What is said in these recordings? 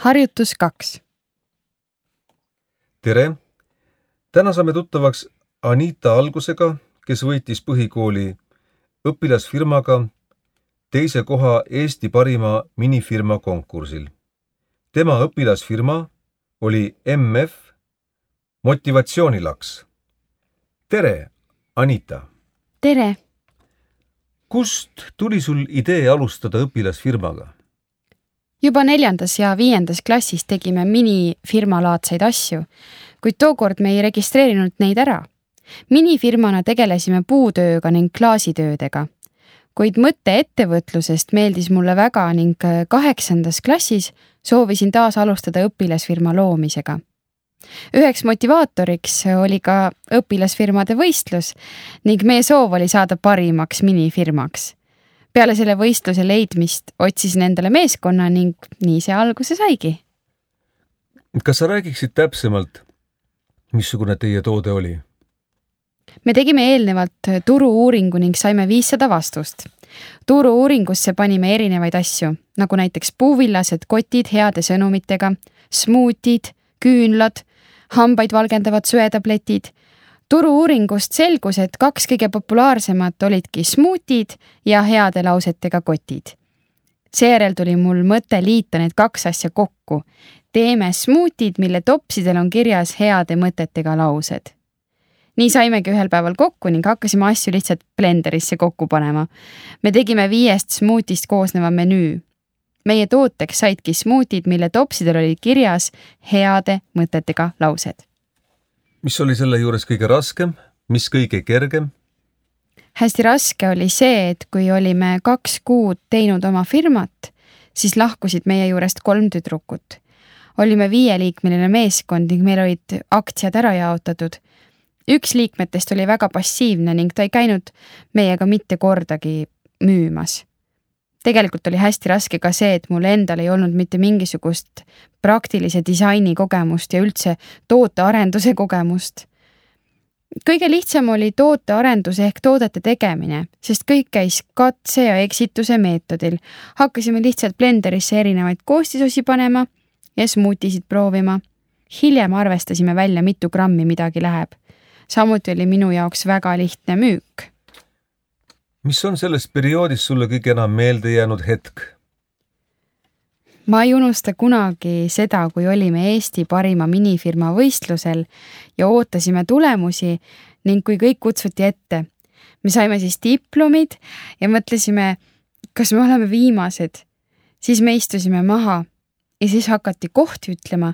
Harjutus 2. Tere! Täna saame tuttavaks Anita Algusega, kes võitis põhikooli õpilasfirmaga teise koha Eesti parima minifirma konkursil. Tema õpilasfirma oli MF Motivatsioonilaks. Tere, Anita! Tere! Kust tuli sul idee alustada õpilasfirmaga? Juba 4. ja 5. klassis tegime minifirmalaadseid asju, kuid tookord me ei registreerinud neid ära. Minifirmana tegelesime puutööga ning klaasitöödega. Kuid mõtte ettevõtlusest meeldis mulle väga ning 8. klassis soovisin taas alustada õpilasfirma loomisega. Üheks motivaatoriks oli ka õpilasfirmade võistlus ning meie soov oli saada parimaks minifirmaks. Peale selle võistluse leidmist otsisin endale meeskonna ning nii see alguse saigi. Kas sa räägiksid täpsemalt, missugune teie toode oli? Me tegime eelnevalt turu-uuringu ning saime 500 vastust. Turu-uuringusse panime erinevaid asju, nagu näiteks puuvillased kotid heade sõnumitega, smuutid, küünlad, hambaid valgendavad söetabletid. Turu-uuringust selgus, et 2 kõige populaarsemat olidki smuutid ja heade lausetega kotid. Seejärel tuli mul mõte liita need 2 asja kokku. Teeme smuutid, mille topsidel on kirjas heade mõtetega laused. Nii saimegi ühel päeval kokku ning hakkasime asju lihtsalt blenderisse kokku panema. Me tegime 5 smuutist koosneva menüü. Meie tooteks saidki smuutid, mille topsidel oli kirjas heade mõtetega laused. Mis oli selle juures kõige raskem? Mis kõige kergem? Hästi raske oli see, et kui olime 2 kuud teinud oma firmat, siis lahkusid meie juurest 3 tüdrukut. Olime 5-liikmeline meeskond ning meil olid aktsiad ära jaotatud. Üks liikmetest oli väga passiivne ning ta ei käinud meiega mitte kordagi müümas. Tegelikult oli hästi raske ka see, et mul endal ei olnud mitte mingisugust praktilise disaini kogemust ja üldse tootearenduse kogemust. Kõige lihtsam oli tootearenduse ehk toodete tegemine, sest kõik käis katse ja eksituse meetodil. Hakkasime lihtsalt blenderisse erinevaid koostisosi panema ja smuutisid proovima. Hiljem arvestasime välja, mitu grammi midagi läheb. Samuti oli minu jaoks väga lihtne müük. Mis on sellest perioodist sulle kõige enam meelde jäänud hetk? Ma ei unusta kunagi seda, kui olime Eesti parima minifirma võistlusel ja ootasime tulemusi ning kui kõik kutsuti ette. Me saime siis diplomid ja mõtlesime, kas me oleme viimased. Siis me istusime maha ja siis hakati kohti ütlema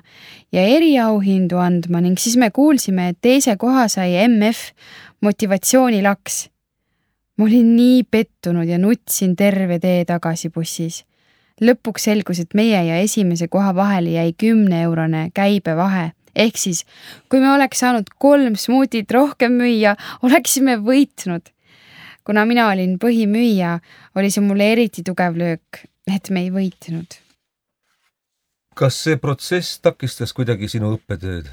ja eriauhindu andma ning siis me kuulsime, et teise koha sai MF Motivatsioonilaks. Ma olin nii pettunud ja nutsin terve tee tagasi bussis. Lõpuks selgus, et meie ja esimese koha vahele jäi 10-eurone käibevahe. Ehk siis, kui me oleks saanud 3 smuutit rohkem müüa, oleksime võitnud. Kuna mina olin põhimüüja, oli see mulle eriti tugev löök, et me ei võitnud. Kas see protsess takistas kuidagi sinu õppetööd?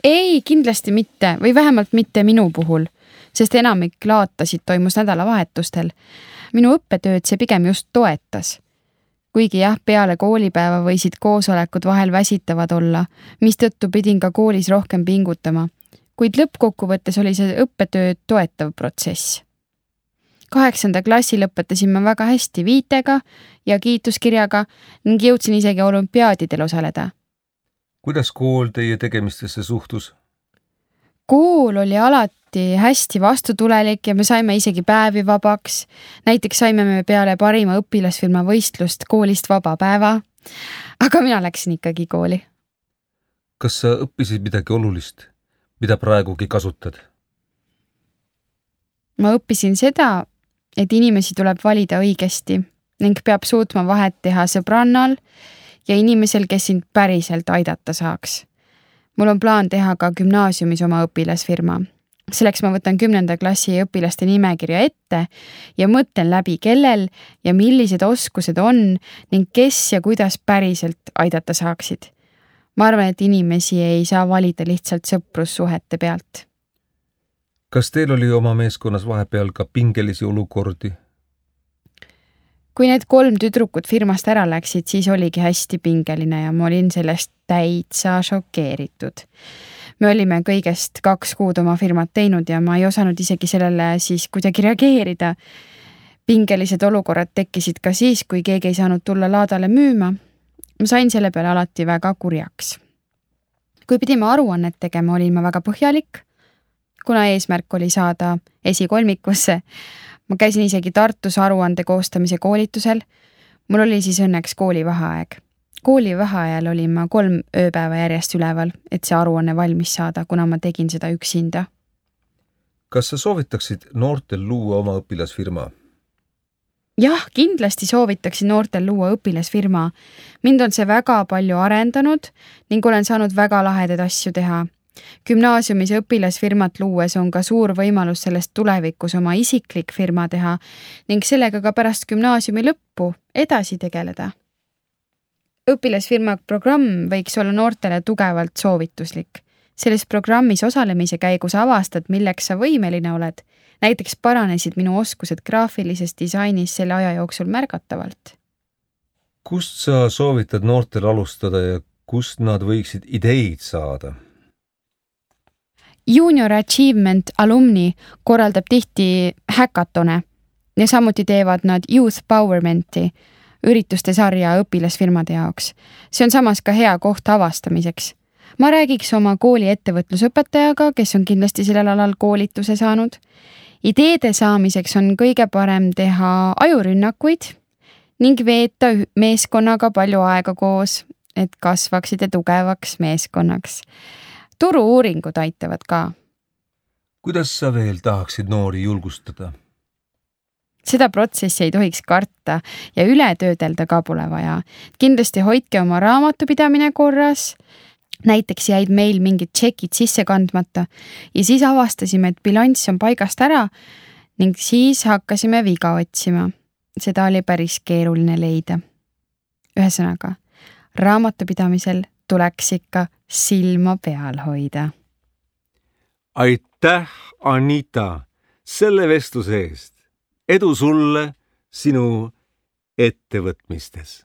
Ei, kindlasti mitte või vähemalt mitte minu puhul, sest enamik laatasid toimus nädalavahetustel. Minu õppetööd see pigem just toetas. Kuigi jah, peale koolipäeva võisid koosolekud vahel väsitavad olla, mistõttu pidin ka koolis rohkem pingutama. Kuid lõppkokkuvõttes oli see õppetööd toetav protsess. 8. klassi lõpetasime väga hästi 5 ja kiituskirjaga ning jõudsin isegi olümpiaadidel osaleda. Kuidas kool teie tegemistesse suhtus? Kool oli alati hästi vastutulelik ja me saime isegi päevi vabaks. Näiteks saime me peale parima õpilasfirma võistlust koolist vaba päeva, aga mina läksin ikkagi kooli. Kas sa õppisid midagi olulist, mida praegugi kasutad? Ma õppisin seda, et inimesi tuleb valida õigesti ning peab suutma vahet teha sõbrannal ja inimesel, kes sind päriselt aidata saaks. Mul on plaan teha ka gümnaasiumis oma õpilasfirma. Selleks ma võtan 10. klassi õpilaste nimekirja ette ja mõtlen läbi, kellel ja millised oskused on ning kes ja kuidas päriselt aidata saaksid. Ma arvan, et inimesi ei saa valida lihtsalt sõprussuhete pealt. Kas teil oli oma meeskonnas vahepeal ka pingelisi olukordi? kui need 3 tüdrukut firmast ära läksid, siis oligi hästi pingeline ja ma olin sellest täitsa šokeeritud. Me olime kõigest 2 kuud oma firmat teinud ja ma ei osanud isegi sellele siis kuidagi reageerida. Pingelised olukorrad tekkisid ka siis, kui keegi ei saanud tulla laadale müüma. Ma sain selle peale alati väga kurjaks. Kui pidime aruannet tegema, olin ma väga põhjalik, kuna eesmärk oli saada esikolmikusse. Ma käisin isegi Tartus aruande koostamise koolitusel. Mul oli siis õnneks koolivaheaeg. Koolivaheajal olin ma 3 ööpäeva järjest üleval, et see aruanne valmis saada, kuna ma tegin seda üksinda. Kas sa soovitaksid noortel luua oma õpilasfirma? Jah, kindlasti soovitaksin noortel luua õpilasfirma. Mind on see väga palju arendanud ning olen saanud väga lahedaid asju teha. Gümnaasiumis õpilasfirmat luues on ka suur võimalus sellest tulevikus oma isiklik firma teha ning sellega ka pärast gümnaasiumi lõppu edasi tegeleda. Õpilasfirma programm võiks olla noortele tugevalt soovituslik. Selles programmis osalemise käigus avastad, milleks sa võimeline oled. Näiteks paranesid minu oskused graafilises disainis selle aja jooksul märgatavalt. Kust sa soovitad noortel alustada ja kust nad võiksid ideid saada? Junior Achievement Alumni korraldab tihti häkatone ja samuti teevad nad Youth Powermenti, ürituste sarja õpilasfirmade jaoks. See on samas ka hea koht avastamiseks. Ma räägiks oma kooli ettevõtlusõpetajaga, kes on kindlasti sellel alal koolituse saanud. Ideede saamiseks on kõige parem teha ajurünnakuid ning veeta meeskonnaga palju aega koos, et kasvaksid ja tugevaks meeskonnaks. Turu-uuringud aitavad ka. Kuidas sa veel tahaksid noori julgustada? Seda protsessi ei tohiks karta ja üle töödelda ka pole vaja. Kindlasti hoidke oma raamatupidamine korras. Näiteks jäid meil mingid tšekid sisse kandmata ja siis avastasime, et bilanss on paigast ära ning siis hakkasime viga otsima. Seda oli päris keeruline leida. Ühesõnaga, raamatupidamisel tuleks ikka silma peal hoida. Aitäh, Anita, selle vestluse eest. Edu sulle sinu ettevõtmistes.